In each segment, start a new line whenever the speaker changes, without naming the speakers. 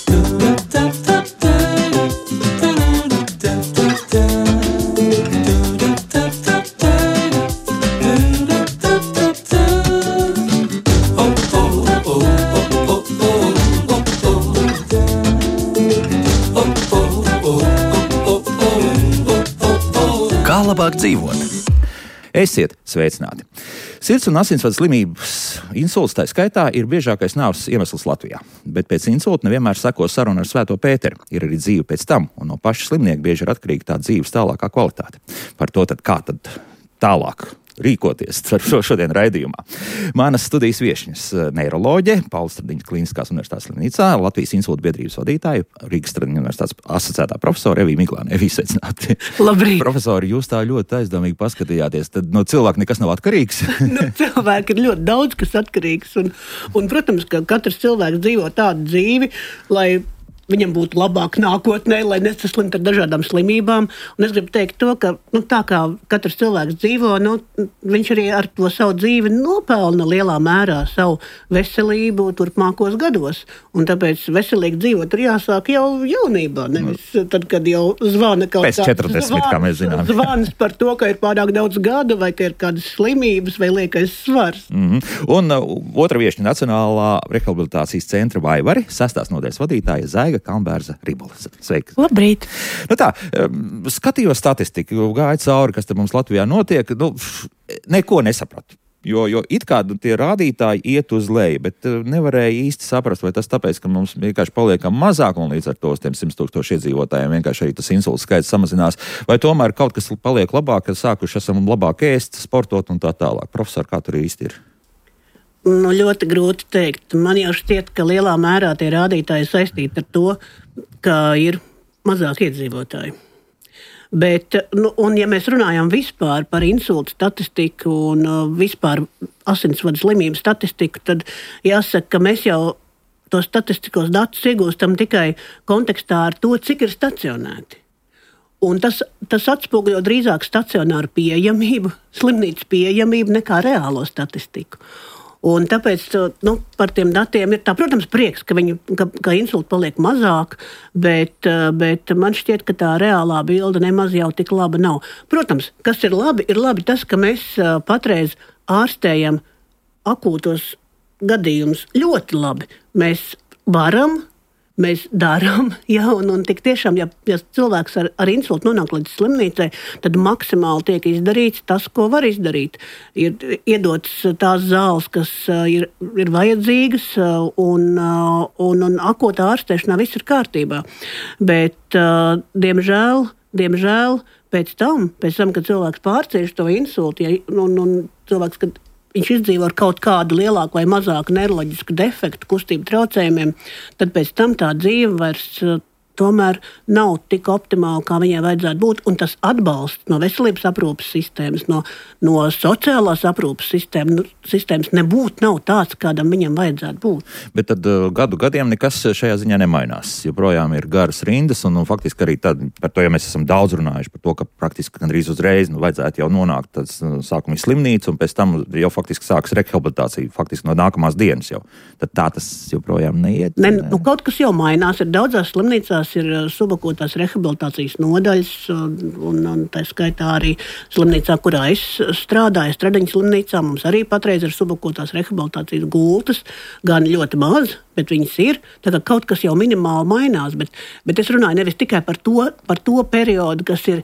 Kā labāk dzīvot? Esiet sveicināti! Sirds- un asinsvadu slimības, insults tā skaitā, ir biežākais nāves iemesls Latvijā. Bet pēc insulta nevienmēr seko saruna ar Svēto Pēteri. Ir arī dzīve pēc tam, un no paša slimnieka bieži ir atkarīga tā dzīves tālākā kvalitāte. Par to tad kā tad tālāk rīkoties šodien raidījumā. Manas studijas viešņas neiroloģe, Paula Stradiņas Kliniskās universitātes slimnīcā, Latvijas insulta biedrības vadītāja, Rīgas Stradiņas universitātes asociētā profesora Evija Miglāne. Evija, sveicināti.
Labrīt.
Profesori, jūs tā ļoti aizdomīgi paskatījāties, tad no cilvēka nekas nav atkarīgs?
No cilvēka ir ļoti daudz, kas atkarīgs, un protams, ka katrs cilvēks dzīvo tādu dzīvi, lai viņam būtu labāk nākotnē, lai nesaslimtu ar dažādām slimībām. Un es gribu teikt to, ka tā kā katrs cilvēks dzīvo, viņš arī ar to savu dzīvi nopelna lielā mērā savu veselību turpmākos gados. Un tāpēc veselīgi dzīvot ir jāsāk jau jaunībā, nevis tad, kad jau zvana kaut
kāds... Pēc 40, kā mēs zinām.
Zvans par to, ka ir pārāk daudz gadu, vai ka ir kādas slimības, vai liekais svars.
Un otra viešņa Nacionālā rehabilitācijas centra Vaivari, 6. nodaļas vadītāja Zaiga Kalnbērza Ribola. Sveiki!
Labrīt!
Tā, skatījos statistiku, gāju cauri, kas te mums Latvijā notiek, neko nesapratu. Jo it kā tie rādītāji iet uz leju, bet nevarēja īsti saprast, vai tas tāpēc, ka mums vienkārši paliekam mazāk un līdz ar to 100,000 iedzīvotājiem vienkārši arī tas insulta skaits samazinās, vai tomēr kaut kas paliek labāk, kad sākuši esam labāk ēst, sportot un tā tālāk. Profesor, kā tur īsti ir?
Ļoti grūti teikt. Man jau šķiet, ka lielā mērā tie rādītāji saistīti ar to, ka ir mazāk iedzīvotāji. Bet, un ja mēs runājam vispār par insultu statistiku un vispār asinsvadu slimību statistiku, tad jāsaka, ka mēs jau tos statistiskos datus iegūstam tikai kontekstā ar to, cik ir stacionēti. Un tas atspoguļo drīzāk stacionāru pieejamību, slimnīcas pieejamību nekā reālo statistiku. Un tāpēc par tiem datiem ir tā, protams, prieks, ka insulti paliek mazāk, bet man šķiet, ka tā reālā bilde nemaz jau tik laba nav. Protams, kas ir labi tas, ka mēs patreiz ārstējam akūtos gadījumus ļoti labi. Mēs varam, mēs darām, un tik tiešām, ja cilvēks ar insultu nonāk līdz slimnīcai, tad maksimāli tiek izdarīts tas, ko var izdarīt. Ir iedotas tās zāles, kas ir vajadzīgas, un akūtā ārstēšanā viss ir kārtībā. Bet, diemžēl, pēc tam, kad cilvēks pārcieš to insultu, un cilvēks, kad viņš izdzīvo ar kaut kādu lielāku vai mazāku neiroloģisku defektu, kustību traucējumiem, tad pēc tam tā dzīve vairs tomēr nav tik optimāla, kā viņai vajadzētu būt. Un tas atbalsts no veselības aprūpes sistēmas, no sociālās aprūpes sistēmas nav tāds, kādam viņam vajadzētu būt.
Bet tad gadiem nekas šajā ziņā nemainās. Joprojām ir garas rindas, un faktiski arī tad, par to, ja mēs esam daudz runājuši par to, ka praktiski gandrīz uzreiz vajadzētu jau nonākt tāds sākuma slimnīca, un pēc tam jau faktiski sāks rehabilitācija, faktiski no nākamās dienas jau. Tad tā tas joprojām neiet.
Kaut kas jau mainās. Ir daudzās slimnīcās ir subakūtās rehabilitācijas nodaļas, un tā skaitā arī slimnīcā, kurā es strādāju, Stradiņas slimnīcā, mums arī patreiz ir subakūtās rehabilitācijas gultas, gan ļoti maz, bet viņas ir. Tā kā kaut kas jau minimāli mainās, bet es runāju nevis tikai par to periodu, kas ir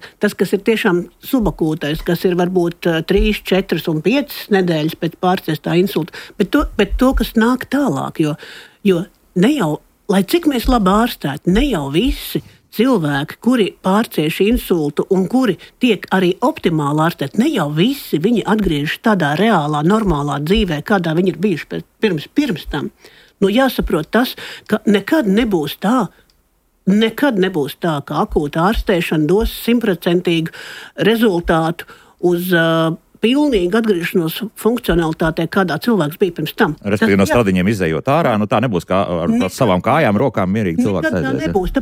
tiešām subakūtais, kas ir varbūt 3, 4 un 5 nedēļas pēc pārciestā insulta, bet to, kas nāk tālāk, jo ne jau, lai cik mēs labi ārstētu, ne jau visi cilvēki, kuri pārcieš insultu un kuri tiek arī optimāli ārstēti, ne jau visi viņi atgriežas tādā reālā, normālā dzīvē, kādā viņi ir bijuši pirms tam. Jāsaprot tas, ka nekad nebūs tā, ka akūta ārstēšana dos 100% rezultātu uz pilnīgi atgriešanos funkcionalitātē, kādā cilvēks bija pirms tam.
Respektīvi no Stradiņiem izējot ārā, tā nebūs kā ar savām kājām, rokām mierīgi cilvēks aizies.
Nekad tā nebūs,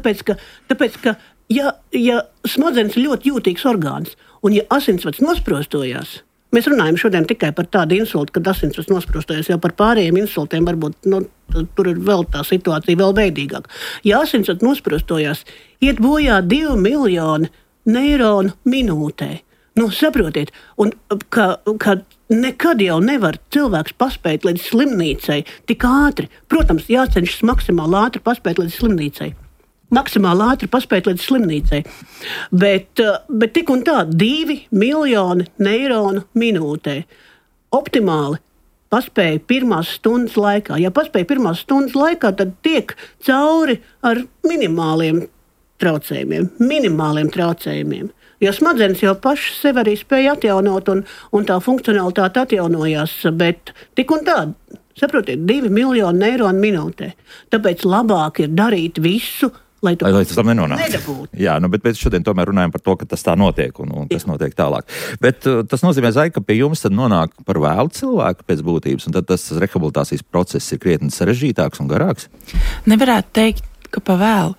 tāpēc, ka ja smadzenes ir ļoti jūtīgs orgāns, un ja asinsvads nosprostojās, Mēs runājam šodien tikai par tādu insultu, kad asinsvads nosprostojas, jau par pārējiem insultiem varbūt tur ir vēl tā situācija vēl veidīgāka. Ja asinsvads nosprostojās, iet bojā 2 miljoni neironu minūtē. Saprotiet, un ka nekad jau nevar cilvēks paspēt līdz slimnīcai tik ātri. Protams, jācenšas maksimāli ātri paspēt līdz slimnīcai. Bet tik un tā 2 miljoni neironu minūtē. Optimāli paspēja pirmās stundas laikā. Ja paspēja pirmās stundas laikā, tad tiek cauri ar minimāliem traucējumiem. Jo smadzenes jau pašas sev arī spēja atjaunot un tā funkcionalitāte atjaunojās, bet tik un tā, saprotiet, 2 miljoni neironu minūtē. Tāpēc labāk ir darīt visu, lai tas tam nedabūtu.
Jā, bet šodien tomēr runājam par to, ka tas tā notiek un kas notiek tālāk. Bet tas nozīmē, Zai, ka pie jums tad nonāk par vēlu cilvēku pēc būtības, un tad tas rehabilitācijas process ir krietni sarežģītāks un garāks?
Nevarētu teikt, ka pa vēlu.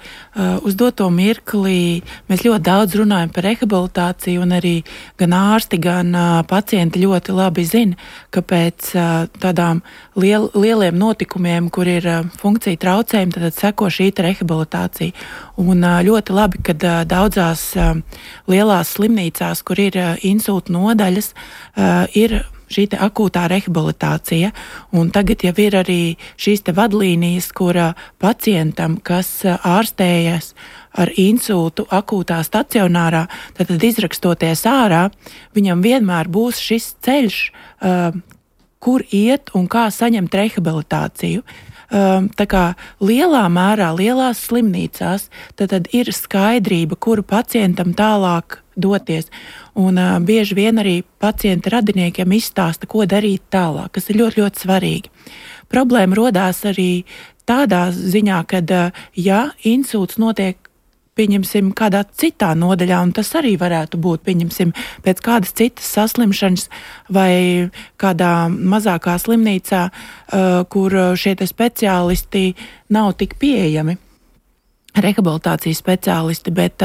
Uz doto mirklī mēs ļoti daudz runājam par rehabilitāciju, un arī gan ārsti, gan pacienti ļoti labi zina, ka pēc tādām lieliem notikumiem, kur ir funkcija traucējumi, tad seko šī rehabilitācija. Un ļoti labi, ka daudzās lielās slimnīcās, kur ir insulta nodaļas, ir šī akūtā rehabilitācija, un tagad jau ir arī šīs vadlīnijas, kur pacientam, kas ārstējas ar insultu akūtā stacionārā, tad izrakstoties ārā, viņam vienmēr būs šis ceļš, kur iet un kā saņemt rehabilitāciju. Tā kā lielā mērā, lielās slimnīcās, tad ir skaidrība, kuru pacientam tālāk doties. Un bieži vien arī pacienta radiniekiem izstāsta, ko darīt tālāk, kas ir ļoti, ļoti svarīgi. Problēma rodās arī tādā ziņā, kad, ja insults notiek, pieņemsim, kādā citā nodaļā, un tas arī varētu būt, pieņemsim, pēc kādas citas saslimšanas vai kādā mazākā slimnīcā, kur šie speciālisti nav tik pieejami. Rehabilitācijas speciālisti, bet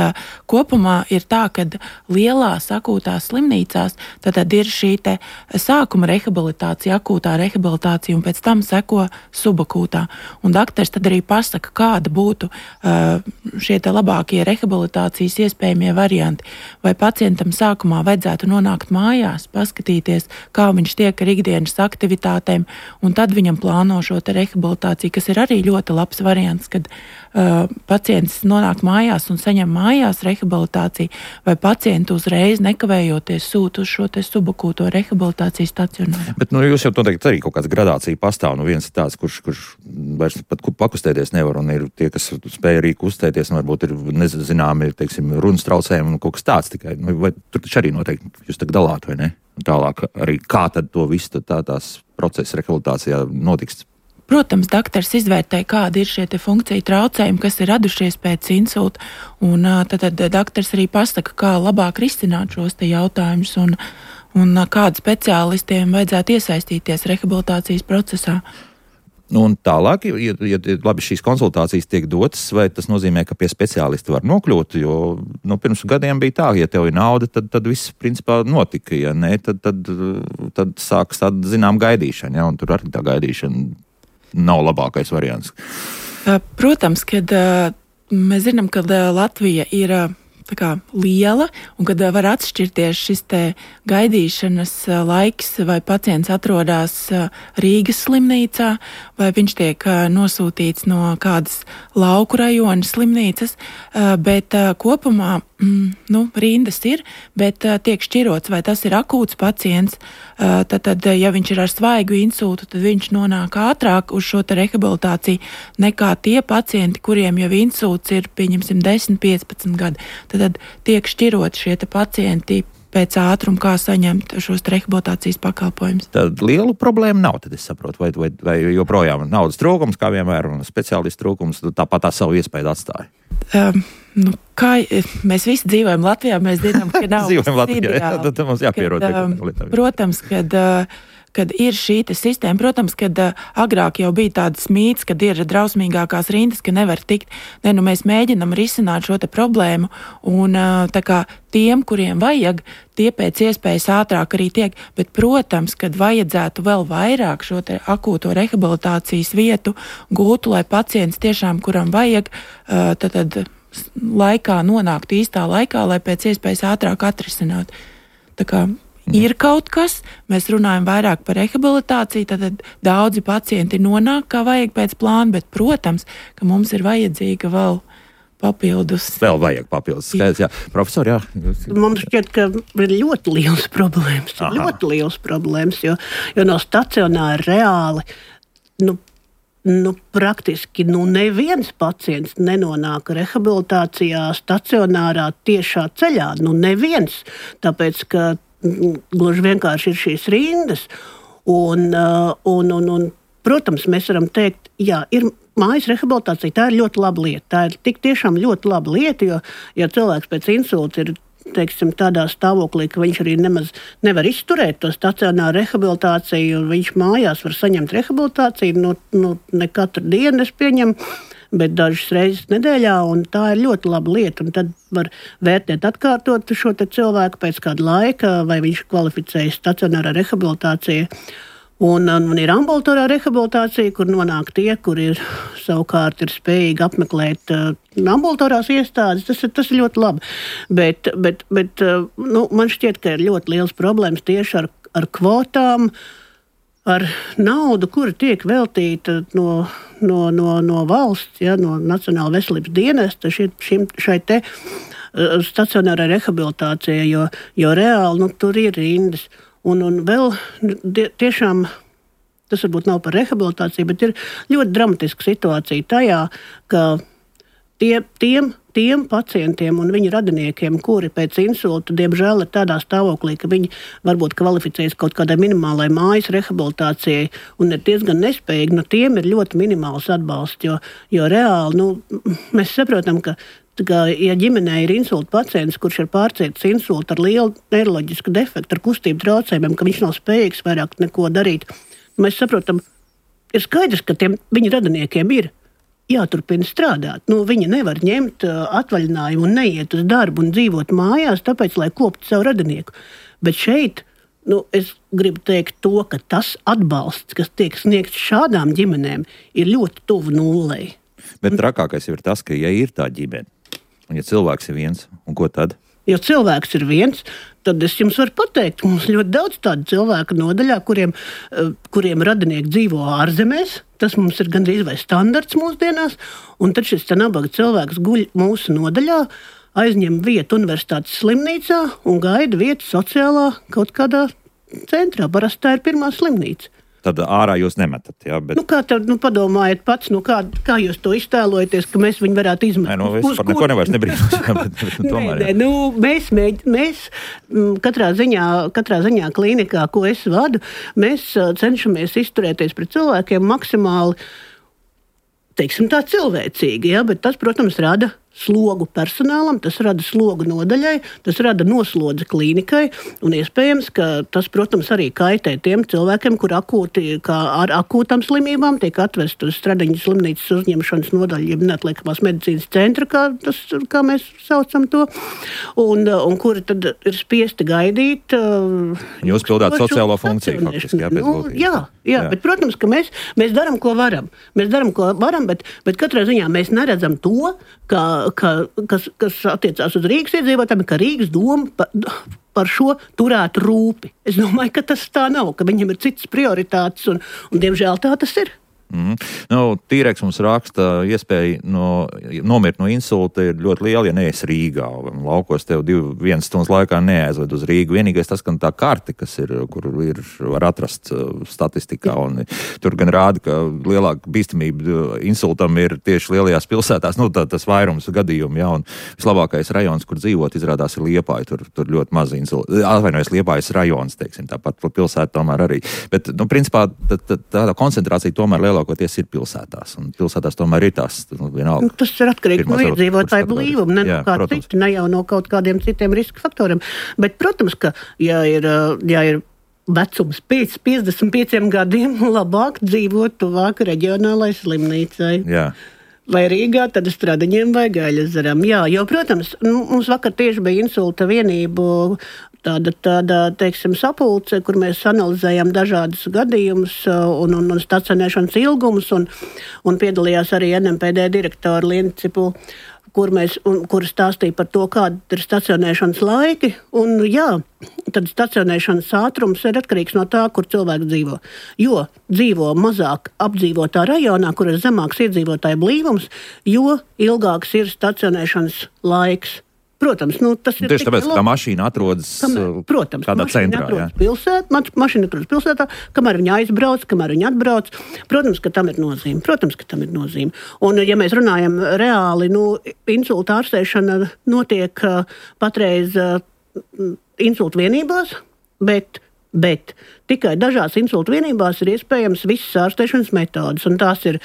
kopumā ir tā, ka lielās akūtās slimnīcās tad ir šī sākuma rehabilitācija, akūtā rehabilitācija, un pēc tam seko subakūtā. Un daktars tad arī pasaka, kāda būtu šie labākie rehabilitācijas iespējamie varianti. Vai pacientam sākumā vajadzētu nonākt mājās, paskatīties, kā viņš tiek ar ikdienas aktivitātēm, un tad viņam plāno šo rehabilitāciju, kas ir arī ļoti labs variants, kad pacients nonāk mājās un saņem mājās rehabilitāciju, vai pacientu uzreiz nekavējoties sūta uz šo subakūto rehabilitācijas stacionāru. Bet
jūs jau noteikti arī kaut kāds gradācija pastāv. Viens ir tāds, kurš vairs pat pakustēties nevar, un ir tie, kas spēj arī kustēties, un varbūt ir nezināmi, teiksim, runas traucējumi un kaut kas tāds tikai. Vai tur taču arī noteikti jūs tagad dalāt, vai ne? Un tālāk arī kā tad to visu tās procesa rehabilitācijā notiks?
Protams, daktars izvērtē, kādi ir šie funkciju traucējumi, kas ir radušies pēc insulta, un tad daktars arī pasaka, kā labāk risināt šos jautājumus un kādu speciālistiem vajadzētu iesaistīties rehabilitācijas procesā.
Un tālāk, ja labi šīs konsultācijas tiek dotas, vai tas nozīmē, ka pie speciālista var nokļūt, jo pirms gadiem bija tā, ja tev ir nauda, tad viss principā notika, ja nē, tad sāks tāda zinām gaidīšana, ja, un tur arī tā gaidīšana nav labākais variants.
Protams, kad mēs zinām, ka Latvija ir liela un kad var atšķirties šis gaidīšanas laiks, vai pacients atrodas Rīgas slimnīcā, vai viņš tiek nosūtīts no kādas lauku rajona slimnīcas, bet kopumā rindas ir, bet tiek šķirots, vai tas ir akūts pacients, tad ja viņš ir ar svaigu insultu, tad viņš nonāk ātrāk uz šo rehabilitāciju nekā tie pacienti, kuriem jau insults ir, pieņemsim, 10-15 gadi. Tad tiek šķirot šie pacienti pēc ātruma, kā saņemt šos rehabilitācijas pakalpojumus.
Tad lielu problēmu nav, tad es saprotu, vai joprojām naudas trūkums, kā vienmēr, un speciālistu trūkums, tāpat tā savu iespēju atstāja.
Kā mēs visi dzīvojam Latvijā, mēs zinām, ka nav
dzīvojam Latvijā, tad mums jāpierod.
Protams, kad kad ir šī sistēma. Protams, kad agrāk jau bija tāds mīts, kad ir drausmīgākās rindas, ka nevar tikt. Mēs mēģinam risināt šo problēmu, un tā kā tiem, kuriem vajag, tie pēc iespējas ātrāk arī tiek. Bet, protams, kad vajadzētu vēl vairāk šo akūto rehabilitācijas vietu gūtu, lai pacients tiešām, kuram vajag, tad laikā nonāktu īstā laikā, lai pēc iespējas ātrāk atrisinātu. Tā kā ir kaut kas, mēs runājam vairāk par rehabilitāciju, tad daudzi pacienti nonāk, kā vajag pēc plāna, bet, protams, ka mums ir vajadzīga vēl papildus.
Vēl vajag papildus skaidrs, jā. Profesor, jā.
Mums šķiet, ka ir ļoti liels problēmas, jo no stacionāra reāli, praktiski neviens pacients nenonāk rehabilitācijā stacionārā tiešā ceļā. Neviens, tāpēc, ka gluži vienkārši ir šīs rindas. Un, protams, mēs varam teikt, jā, ir mājas rehabilitācija, tā ir ļoti laba lieta. Tā ir tik tiešām ļoti laba lieta, jo, ja cilvēks pēc insulta ir, teiksim, tādā stāvoklī, ka viņš arī nemaz nevar izturēt to stacionāru rehabilitāciju, un viņš mājās var saņemt rehabilitāciju, ne katru dienu es pieņemu, bet dažas reizes nedēļā, un tā ir ļoti laba lieta, un tad var vērtēt atkārtot šo cilvēku pēc kāda laika, vai viņš kvalificējas stacionārā rehabilitācija. Un ir ambulatorā rehabilitācija, kur nonāk tie, kuri savukārt ir spējīgi apmeklēt ambulatorās iestādes. Tas ir ļoti labi. Bet man šķiet, ka ir ļoti liels problēmas tieši ar kvotām, ar naudu, kura tiek veltīta no valsts, no Nacionāla veselības dienesta šai te stacionārai rehabilitācijai, jo reāli tur ir rindas. Un vēl tiešām, tas varbūt nav par rehabilitāciju, bet ir ļoti dramatiska situācija tajā, ka tiem pacientiem un viņu radiniekiem, kuri pēc insulta, diemžēl, ir tādā stāvoklī, ka viņi varbūt kvalificējas kaut kādai minimālai mājas rehabilitācijai un ir diezgan nespējīgi, tiem ir ļoti minimāls atbalsts, jo reāli, mēs saprotam, ka ja ģimenē ir insulta pacients, kurš ir pārcietis insultu ar lielu neiroloģisku defektu, ar kustību traucējumiem, ka viņš nav spējīgs vairāk neko darīt, mēs saprotam, ir skaidrs, ka viņa radiniekiem ir jāturpina strādāt. Viņi nevar ņemt atvaļinājumu un neiet uz darbu un dzīvot mājās, tāpēc, lai koptu savu radinieku. Bet šeit, es gribu teikt to, ka tas atbalsts, kas tiek sniegts šādām ģimenēm, ir ļoti tuvu nullei.
Bet trakākais ir tas, ka ja ir tā ģimene, un ja cilvēks ir viens, un ko tad?
Ja cilvēks ir viens, tad es jums varu pateikt, mums ļoti daudz tādu cilvēku nodaļā, kuriem radinieki dzīvo ārzemēs. Tas mums ir gandrīz vai standarts mūsdienās, un tad šis nabaga cilvēks guļ mūsu nodaļā, aizņem vietu universitātes slimnīcā un gaida vietu sociālā kaut kādā centrā. Parasti tā ir pirmā slimnīca.
Tad ārā jūs nemetat, jā? Bet...
kā tad, padomājiet pats, kā jūs to iztēlojaties, ka mēs viņu varētu izmantot?
Es par neko nevairs nebrīnos.
Mēs katrā ziņā klīnikā, ko es vadu, mēs cenšamies izturēties pret cilvēkiem maksimāli, teiksim tā, cilvēcīgi, jā, bet tas, protams, rada slogu personālam, tas rada slogu nodaļai, tas rada noslodzi klīnikai, un iespējams, ka tas, protams, arī kaitē tiem cilvēkiem, kur ar akūtām slimībām tiek atvest uz Stradiņas slimnīcas uzņemšanas nodaļu, jeb neatliekamās medicīnas centra, kā mēs saucam to, un kuri tad ir spiesti gaidīt.
Jūs pildāt sociālo funkciju, faktiski, jā, pēc būtības.
Jā, bet, protams, ka mēs darām, ko varam. Mēs darām, ko varam, bet katrā ziņā mēs neredzam to, kas attiecās uz Rīgas iedzīvotājiem, ka Rīgas doma par šo turētu rūpi. Es domāju, ka tas tā nav, ka viņam ir citas prioritātes, un diemžēl tā tas ir.
Tīreks mums raksta, iespēja nomirt no insulta ir ļoti liela, ja neesi Rīgā. Laukos tev 1 stundas laikā neaizved uz Rīgu. Vienīgais tas, ka tā karte, kur var atrast statistikā, un tur gan rāda, ka lielāka bīstamība insultam ir tieši lielajās pilsētās, tas vairums gadījumu, jā, un vislabākais rajons, kur dzīvot, izrādās ir Liepāja, tur ļoti maz insulta. Atvainojas Liepājas rajons, teiksim, tāpat pilsēta tomēr arī. Bet, principā, tāda koncentrācija tomēr lielākoties ir pilsētās, un pilsētās tomēr ir tās vienalga.
Tas ir atkarīgi no iedzīvotāju blīvuma, ne no kā citi, ne jau no kaut kādiem citiem riska faktoriem. Bet, protams, ka, ja ir vecums pēc 55 gadiem labāk dzīvot tuvāk reģionālai slimnīcai.
Jā.
Vai Rīgā, tad Stradiņiem vai Gaļazaram. Jā, jo, protams, mums vakar tieši bija insulta vienību tāda teiksim, sapulce, kur mēs analizējām dažādus gadījumus un stacionēšanas ilgumus, un piedalījās arī NMPD direktora Liena Cipula, kur stāstīja par to, kāda ir stacionēšanas laiki. Un jā, tad stacionēšanas ātrums ir atkarīgs no tā, kur cilvēks dzīvo. Jo dzīvo mazāk apdzīvotā rajonā, kur ir zemāks iedzīvotāju blīvums, jo ilgāks ir stacionēšanas laiks. Protams, tas ir
tieši tāpēc, ka tā mašīna atrodas kādā centrā.
Mašīna atrodas pilsētā, kamēr viņa aizbrauc, kamēr viņa atbrauc. Protams, ka tam ir nozīme. Un, ja mēs runājam reāli, insulta ārstēšana notiek patreiz insulta vienībās, bet tikai dažās insulta vienībās ir iespējams visas ārstēšanas metodas. Un tās ir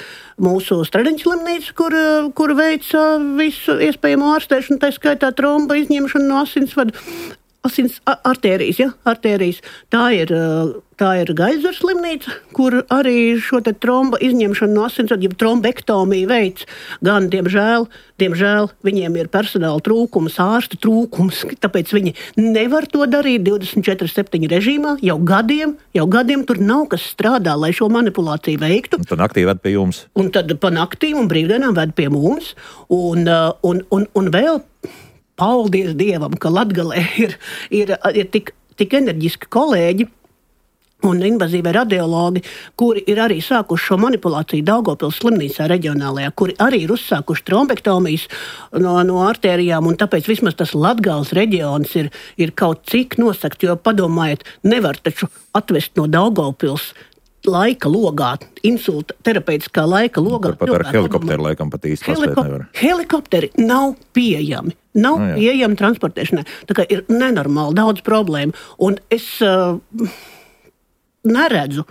mūsu Stradiņu slimnīca, kur veic visu iespējamo ārstēšanu, tā skaitā tromba izņemšanu no asinsvadu. Artērijas, ja? Artērijas. Tā ir Gaļazaras slimnīca, kur arī šo te tromba izņemšanu no asinsvadu, ja trombektomiju veic, gan, diemžēl, viņiem ir personāla trūkums, ārstu trūkums, tāpēc viņi nevar to darīt 24/7 režīmā, jau gadiem tur nav kas strādā, lai šo manipulāciju veiktu.
Un tad naktī ved pie jums.
Un tad pa naktīm un brīvdienām ved pie mums, un vēl paldies Dievam, ka Latgalē ir tik enerģiski kolēģi un invazīvie radiologi, kuri ir arī sākuši šo manipulāciju Daugavpils slimnīcā reģionālajā, kuri arī ir uzsākuši trombektomijas no artērijām, un tāpēc vismaz tas Latgales reģions ir kaut cik nosakt, jo padomājiet, nevar taču atvest no Daugavpils laika logā, insulta terapeitiskā laika logā.
Pat ar helikopteru laikam pat īsti paspēt nevar.
Helikopteri nav pieejami. Pieejami transportēšanai. Tā kā ir nenormāli daudz problēmu. Un es neredzu,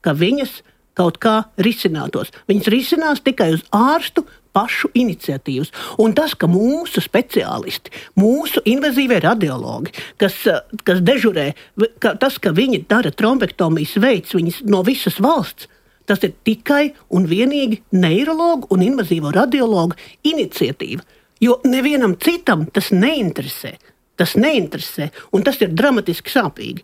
ka viņas kaut kā risinātos. Viņas risinās tikai uz ārstu pašu iniciatīvas. Un tas, ka mūsu speciālisti, mūsu invazīvie radiologi, kas dežurē, tas, ka viņi dara trombektomijas veids viņas no visas valsts, tas ir tikai un vienīgi neirologu un invazīvo radiologu iniciatīva. Jo nevienam citam tas neinteresē. Un tas ir dramatiski sāpīgi.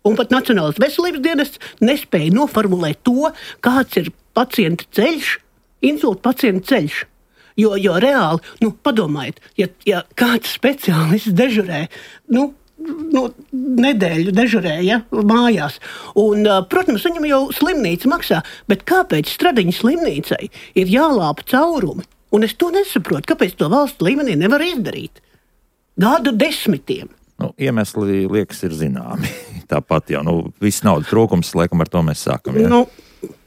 Un pat Nacionālais veselības dienests nespēja noformulēt to, kāds ir pacienta ceļš, insulta pacienta ceļš. Jo reāli, padomājiet, ja kāds speciālists dežurē, nedēļu dežurē, ja, mājās. Un, protams, viņam jau slimnīca maksā, bet kāpēc Stradiņu slimnīcai ir jālāpa caurumi? Un es to nesaprotu, kāpēc to valsts līmenī nevar izdarīt. Gadu desmitiem.
Iemesli, liekas, ir zināmi. Tāpat jau, viss naudas trūkums, laikam ar to mēs sākam. Ja?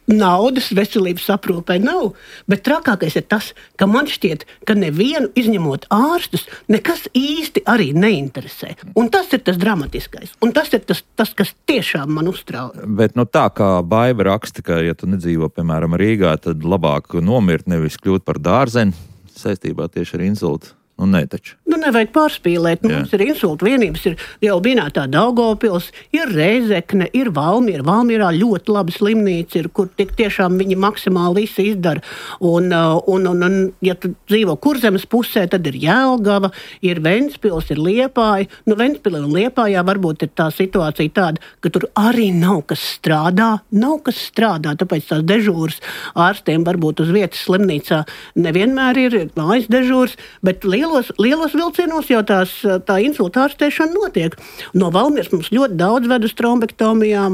Naudas veselības aprūpē nav, bet trakākais ir tas, ka man šķiet, ka nevienu izņemot ārstus, nekas īsti arī neinteresē. Un tas ir tas dramatiskais. Un tas ir tas kas tiešām man uztrauc.
Bet tā kā Baiva raksta, ka, ja tu nedzīvo, piemēram, Rīgā, tad labāk nomirt, nevis kļūt par dārzeni saistībā tieši ar insultu. Nē, taču.
Nevajag pārspīlēt. Mums ir insulta vienības, ir jau minētā Daugavpils, ir Rēzekne, ir Valmiera. Valmierā ļoti laba slimnīca ir, kur tik tiešām viņi maksimāli visu izdara. Un ja tu dzīvo Kurzemes pusē, tad ir Jelgava, ir Ventspils, ir Liepāja. Ventspilī un Liepājā varbūt ir tā situācija tāda, ka tur arī nav kas strādā, tāpēc tās dežūras ārstiem varbūt uz vietas slimnīcā nevienmēr ir mājas dežūras, bet lielos vilcienos jau tā insulta ārstēšana notiek. No Valmieras mums ļoti daudz ved uz trombektomijām.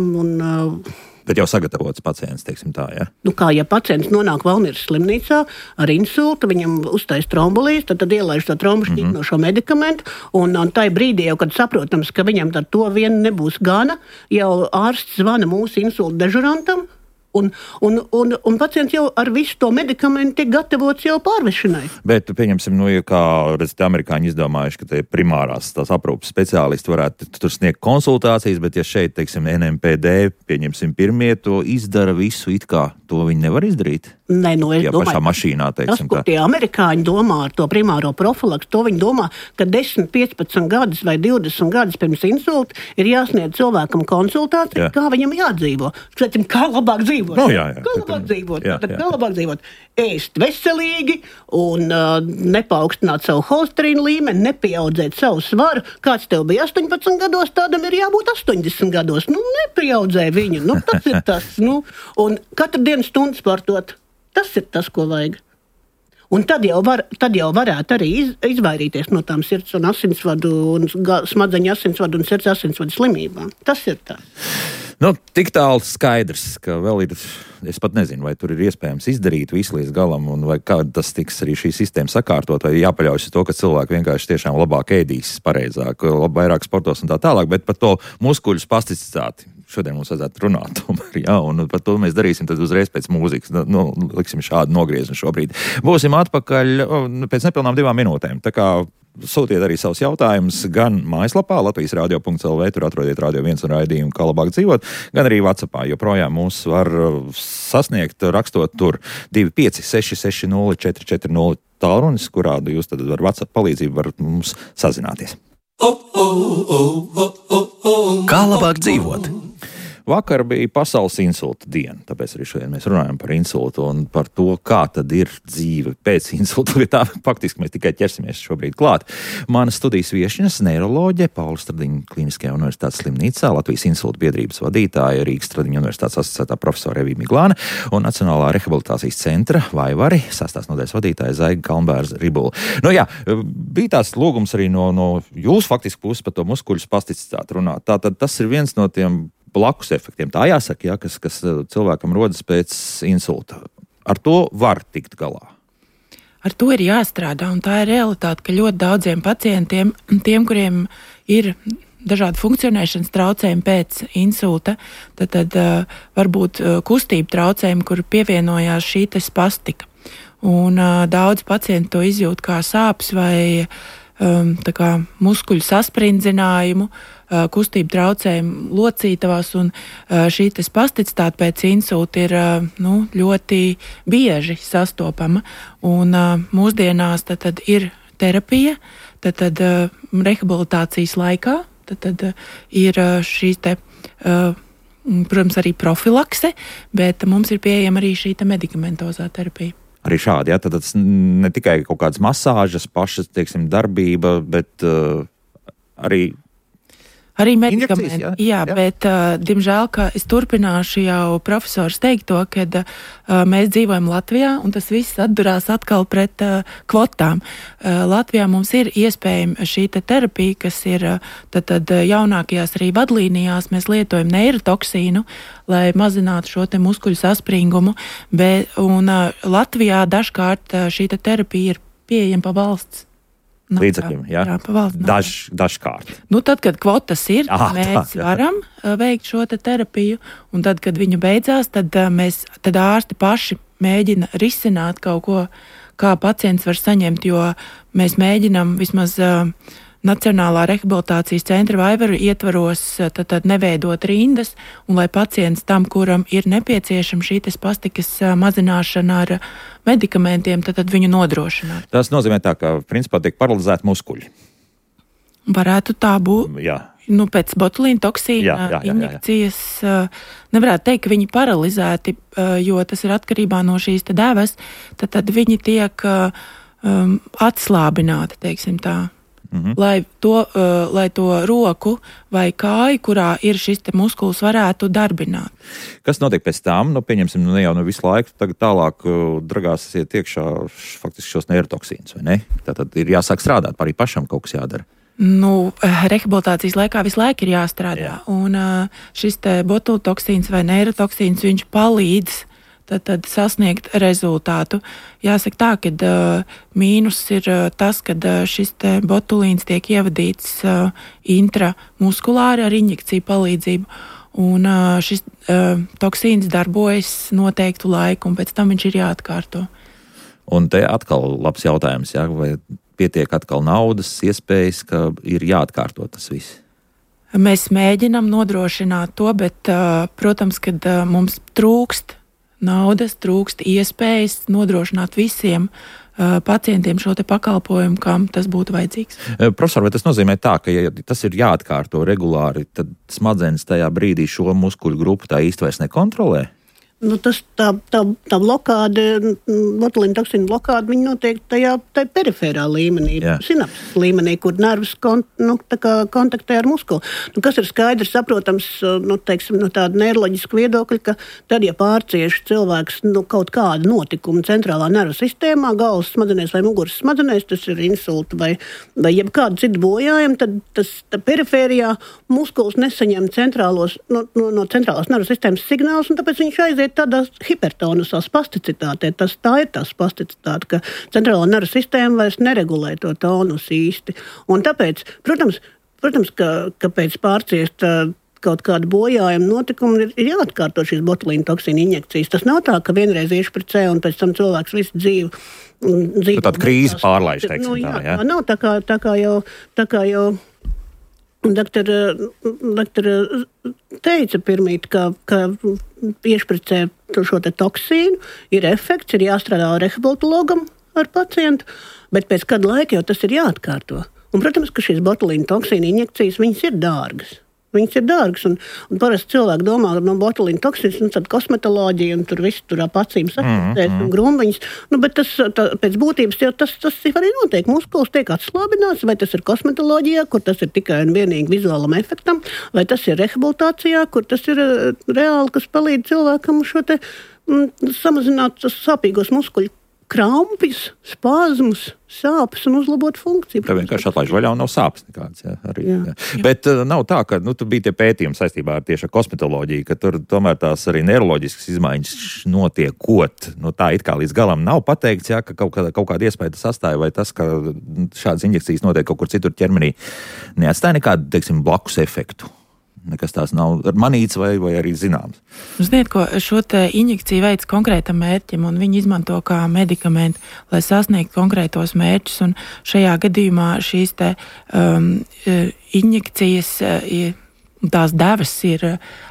Bet jau sagatavots pacients, teiksim tā, ja?
Ja pacients nonāk Valmieras slimnīcā ar insultu, viņam uztais trombolīs, tad ielaiž to trombu šķītnošo medikamentu, un tai brīdī jau, kad saprotams, ka viņam ar to vien nebūs gana, jau ārsts zvana mūsu insulta dežurantam, Un pacients jau ar visu to medikamentu tiek gatavots jau pārvešanai.
Bet, pieņemsim, ja kā redzat, amerikāņi izdomājuši, ka tie primārās tās aprūpes speciālisti varētu tur sniegt konsultācijas, bet ja šeit, teiksim, NMPD, pieņemsim, pirmie to izdara visu it kā, to viņi nevar izdarīt?
Nē, es
ja
domāju,
pašā mašīnā, teiksim,
tas, ko tie amerikāņi domā ar to primāro profilaksu, to viņi domā, ka 10, 15 gadus vai 20 gadus pirms insulta ir jāsniedz cilvēkam konsultācija, kā viņam jādzīvo. Skatim, kā labāk dzīvot. Kā labāk dzīvot. Kā labāk dzīvot. Ēst veselīgi un nepaukstināt savu holesterīnu līmeni, nepieaudzēt savu svaru. Kāds tev bija 18 gados, tādam ir jābūt 80 gados. Nepieaudzē viņu. Tas ir tas. Un katru dienu stundu sportot. Tas ir tas, ko vajag. Un tad jau varētu arī izvairīties no tām sirds un asinsvadu un smadzeņu asinsvadu un sirds asinsvadu slimībām. Tas ir tā.
Tik tālu skaidrs, ka vēl ir, es pat nezinu, vai tur ir iespējams izdarīt visu līdz galam, un vai kā tas tiks arī šī sistēma sakārtot, vai jāpaļaujas to, ka cilvēki vienkārši tiešām labāk ēdīs, pareizāk, vairāk sportos un tā tālāk, bet par to muskuļu spasticitāti. Šodien mums vajadzētu runāt, un par to mēs darīsim tad uzreiz pēc mūzikas. Liksim šādu nogriezumu šobrīd. Būsim atpakaļ pēc nepilnām 2 minūtēm. Tā kā sūtiet arī savus jautājumus gan mājaslapā latvijasradio.lv, tur atrodiet Radio 1 un raidījumu Kā labāk dzīvot, gan arī WhatsAppā, joprojām mūs var sasniegt, rakstot tur 256604440 tālrunis, kurā jūs tad ar WhatsApp palīdzību varat mums sazināties. Kā labāk dzīvot? Vakar bija pasaules insulta diena, tāpēc arī šodien mēs runājam par insultu un par to, kā tad ir dzīve pēc insulta. Tā faktiski mēs tikai ķersimies šobrīd klāt. Mana studijas viešņas neiroloģe, Paula Stradiņa Kliniskajā universitātes slimnīcā, Latvijas insulta biedrības vadītāja, Rīgas Stradiņa universitātes asociētā profesora Evija Miglāne un Nacionālā rehabilitācijas centra Vaivari, 6. nodaļas vadītāja Zaiga Kalnbērza Ribula. Bija tās lūgums arī no jūsu faktiski puses par to muskuļu spasticitāti runāt. Tātad tas ir viens no tiem blakus efektiem. Tā jāsaka, kas cilvēkam rodas pēc insulta. Ar to var tikt galā.
Ar to ir jāstrādā, un tā ir realitāte, ka ļoti daudziem pacientiem, tiem, kuriem ir dažādi funkcionēšanas traucējumi pēc insulta, tad varbūt kustību traucējumi, kur pievienojās šī spastika. Un daudz pacienti to izjūt kā sāpes vai muskuļu sasprindzinājumu, kustību traucējumu locītavās, un šī spasticitāte pēc insulta ir ļoti bieži sastopama. Un mūsdienās tad ir terapija, tad rehabilitācijas laikā, tad ir šīs protams, arī profilakse, bet mums ir pieejama arī šī medikamentozā terapija.
Arī šādi, tad tas ne tikai kaut kādas masāžas, pašas, teiksim, darbība, bet
arī medikamenti. Jā, bet, diemžēl, ka es turpināšu jau profesors teikto, kad mēs dzīvojam Latvijā, un tas viss atdurās atkal pret kvotām. Latvijā mums ir iespējama šī terapija, kas ir tad jaunākajās arī vadlīnijās. Mēs lietojam neirotoksīnu, lai mazinātu šo muskuļu saspringumu, un Latvijā dažkārt šī terapija ir pieejama pa valsts
līdzekļiem, dažkārt.
Tad, kad kvotas ir, mēs varam veikt šo terapiju, un tad, kad viņu beidzās, tad ārsti paši mēģina risināt kaut ko, kā pacients var saņemt, jo mēs mēģinam vismaz Nacionālā rehabilitācijas centra Vaivaru ietvaros tad neveidot rindas, un lai pacients tam, kuram ir nepieciešama šī spastikas mazināšana ar medikamentiem, tad viņu nodrošināt.
Tas nozīmē tā, ka principā tiek paralizēti muskuļi.
Varētu tā būt.
Jā.
Pēc botulīna toksīna injekcijas nevarētu teikt, ka viņi paralizēti, jo tas ir atkarībā no šīs devas, tad viņi tiek atslābināti, teiksim tā. Lai to roku vai kāju, kurā ir šis muskulis, varētu darbināt.
Kas notiek pēc tam? Pieņemsim, jau visu laiku tagad tālāk dragāsiet iekšā faktiski šos neirotoksīnus, vai ne? Tātad ir jāsāk strādāt, arī pašam kaut kas jādara.
Rehabilitācijas laikā visu laiku ir jāstrādā. Un šis botultoksīns vai neirotoksīns, viņš palīdz tad sasniegt rezultātu. Jāsaka tā, ka mīnus ir tas, ka šis botulīns tiek ievadīts intramuskulāri ar injekciju palīdzību. Un šis toksīns darbojas noteiktu laiku, un pēc tam viņš ir jāatkārto.
Un te atkal labs jautājums, ja? Vai pietiek atkal naudas, iespējas, ka ir jāatkārto tas viss?
Mēs mēģinam nodrošināt to, bet, protams, kad mums trūkst naudas, trūkst iespējas nodrošināt visiem pacientiem šo te pakalpojumu, kam tas būtu vajadzīgs.
Profesor, vai tas nozīmē tā, ka ja tas ir jāatkārto regulāri, tad smadzenes tajā brīdī šo muskuļu grupu tā īsti vairs nekontrolē?
Nu, tā blokāde, botulīna toksīna blokāde, viņa notiek tajā periferā līmenī, sinapses līmenī, kur nervs kontaktē ar muskuli. Nu, kas ir skaidrs, saprotams, no tāda neiroloģiska viedokļa, ka tad, ja pārcieš cilvēks kaut kādu notikumu centrālā nervu sistēmā, galvas smadzenēs vai muguras smadzenēs, tas ir insulta vai jebkāda cita bojājuma, tad tas perifērijā muskulis nesaņem no centrālās nervu sistēmas signālus, un tāpēc viņš aiziet tādā hipertonusā spasticitātē. Tā ir tā spasticitāte, ka centrālā nervu sistēma vairs neregulē to tonusu īsti. Un tāpēc, protams, ka pēc pārciest kaut kādu bojājumu notikumu ir jāatkārto šīs botulīna toksīna injekcijas. Tas nav tā, ka vienreiz iešu pret C un pēc tam cilvēks visu dzīvi.
Tāda krīze pārlaiž, teiksim tā, jā?
Nav tā kā jau Doktora teica pirmīt, ka iešpricē šo te toksīnu, ir efekts, ir jāstrādā rehabilitologam ar pacientu, bet pēc kāda laika jau tas ir jāatkārto. Un, protams, ka šīs botulīna toksīna injekcijas, viņas ir dārgas. Un parasti cilvēki domā, no botulīna toksīnas, tad kosmetoloģija, un tur viss tur ap acīm sakustēs un grumbiņas. Bet tas, pēc būtības, tas arī notiek. Muskulis tiek atslābināts, vai tas ir kosmetoloģijā, kur tas ir tikai un vienīgi vizuālam efektam, vai tas ir rehabilitācijā, kur tas ir reāli, kas palīdz cilvēkam šo te samazināt sāpīgos muskuļu krampjus, spazmus, sāpes un uzlabot funkciju.
Tā vienkārši atlaiž vaļā un nav sāpes nekādas. Jā. Bet nav tā, ka tur bija tie pētījumi saistībā ar tieši ar kosmetoloģiju, ka tur tomēr tās arī neiroloģiskas izmaiņas notiekot. Tā it kā līdz galam nav pateikts, ka kaut kāda iespēja tas sastāja, vai tas, ka šādas injekcijas notiek kaut kur citur ķermenī, neatstāja nekādu, teiksim, blakus efektu. Nekas tās nav manīts vai arī zināms.
Ziniet, ko šo te injekciju veids konkrētam mērķim, un viņi izmanto kā medikamentu, lai sasniegtu konkrētos mērķus, un šajā gadījumā šīs te injekcijas tās devas ir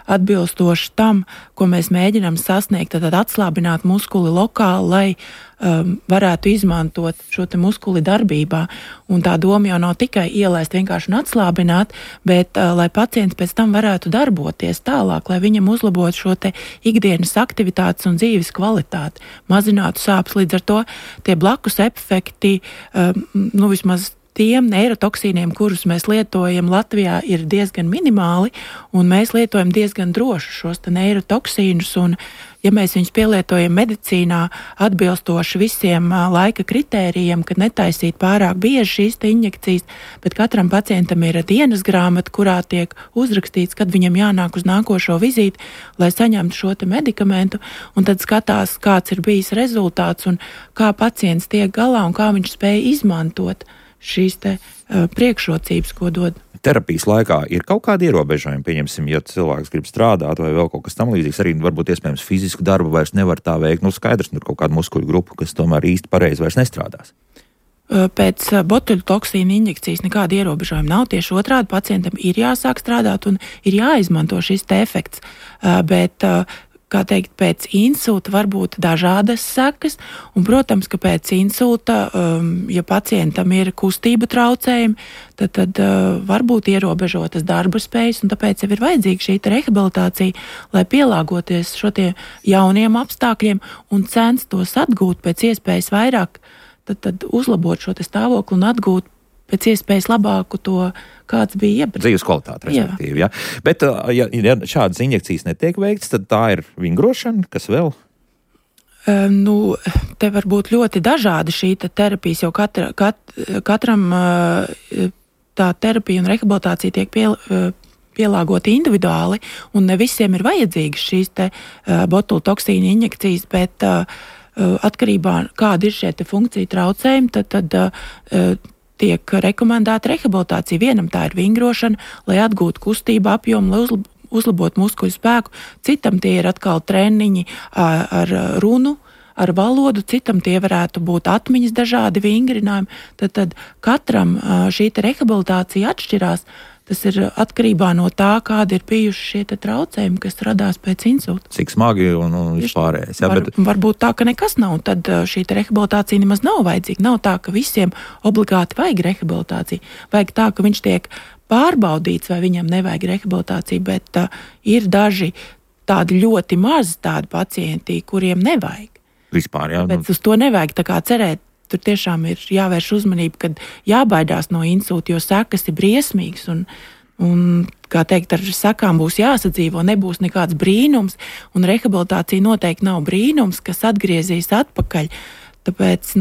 atbilstoši tam, ko mēs mēģinām sasniegt, tad atslābināt muskuli lokāli, lai varētu izmantot šo te muskuli darbībā. Un tā doma jau nav tikai ielaist vienkārši un atslābināt, bet lai pacients pēc tam varētu darboties tālāk, lai viņam uzlabotu šo te ikdienas aktivitātes un dzīves kvalitāti, mazinātu sāpes. Līdz ar to tie blakus efekti, vismaz tiem neirotoksīniem, kurus mēs lietojam Latvijā, ir diezgan minimāli, un mēs lietojam diezgan droši šos neirotoksīnus, un ja mēs viņus pielietojam medicīnā atbilstoši visiem laika kritērijiem, kad netaisīt pārāk bieži šīs injekcijas, bet katram pacientam ir dienas grāmata, kurā tiek uzrakstīts, kad viņam jānāk uz nākošo vizīti, lai saņemtu šo te medikamentu, un tad skatās, kāds ir bijis rezultāts un kā pacients tiek galā un kā viņš spēj izmantot šīs te priekšrocības, ko dod.
Terapijas laikā ir kaut kādi ierobežojumi, pieņemsim, ja cilvēks grib strādāt vai vēl kaut kas tam līdzīgs, arī varbūt iespējams fizisku darbu vairs nevar tā veikt, skaidrs, tur kaut kāda muskuļu grupa, kas tomēr īsti pareizi vairs nestrādās.
Pēc botuļu toksīna injekcijas nekāda ierobežojuma nav, tieši otrādi pacientam ir jāsāk strādāt un ir jāizmanto šis te efekts, bet kā teikt, pēc insulta var būt dažādas sekas, un, protams, ka pēc insulta, ja pacientam ir kustība traucējumi, tad var būt ierobežotas darba spējas, un tāpēc jau ir vajadzīga šī rehabilitācija, lai pielāgoties šo tie jauniem apstākļiem un censtos atgūt pēc iespējas vairāk, tad uzlabot šo te stāvokli un atgūt pēc iespējas labāku to, kāds bija iepriekš.
Dzīves kvalitāte, respektīvi, jā. Bet, ja šādas injekcijas netiek veikts, tad tā ir vingrošana, kas vēl?
Te var būt ļoti dažādi šī terapijas, jo katram tā terapija un rehabilitācija tiek pielāgota individuāli, un ne visiem ir vajadzīgas šīs te botuļu toksīna injekcijas, bet atkarībā, kāda ir šie te funkcija traucējumi, tad tiek rekomendēta rehabilitācija. Vienam tā ir vingrošana, lai atgūtu kustību apjomu, lai uzlabot muskuļu spēku, citam tie ir atkal treniņi ar runu, ar valodu, citam tie varētu būt atmiņas dažādi vingrinājumi. Tad katram šī rehabilitācija atšķirās. Tas ir atkarībā no tā, kādi ir bijuši šie traucējumi, kas radās pēc insulta.
Cik smagi un vispārējais.
Varbūt tā, ka nekas nav, tad šī rehabilitācija nemaz nav vajadzīga. Nav tā, ka visiem obligāti vajag rehabilitāciju. Vajag tā, ka viņš tiek pārbaudīts, vai viņam nevajag rehabilitāciju, bet ir daži tādi ļoti mazi tādi pacienti, kuriem nevajag.
Vispār, jā.
Bet uz to nevajag tā kā cerēt. Tur tiešām ir jāvērš uzmanība, kad jābaidās no insulta, jo sekas ir briesmīgas un kā teikt, ar sakām būs jāsadzīvo, nebūs nekāds brīnums, un rehabilitācija noteikti nav brīnums, kas atgriezīs atpakaļ. Tāpēc,